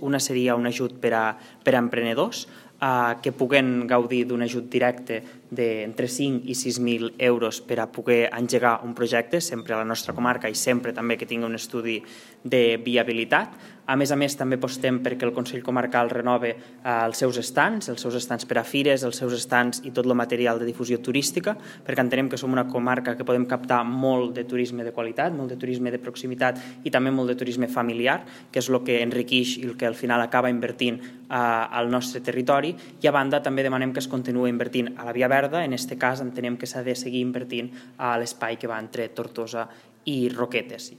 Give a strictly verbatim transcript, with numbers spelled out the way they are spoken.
Una seria un ajut per a, per a emprenedors eh, que puguen gaudir d'un ajut directe d'entre cinc i sis mil euros per a poder engegar un projecte, sempre a la nostra comarca i sempre també que tingui un estudi de viabilitat. A més a més, també apostem perquè el Consell Comarcal renove eh, els seus estants, els seus estants per a fires, els seus estants i tot el material de difusió turística, perquè entenem que som una comarca que podem captar molt de turisme de qualitat, molt de turisme de proximitat i també molt de turisme familiar, que és el que enriqueix i el que al final acaba invertint eh, al nostre territori. I a banda també demanem que es continuï invertint a la Via Verda, en aquest cas entenem que s'ha de seguir invertint a l'espai que va entre Tortosa i Roquetes.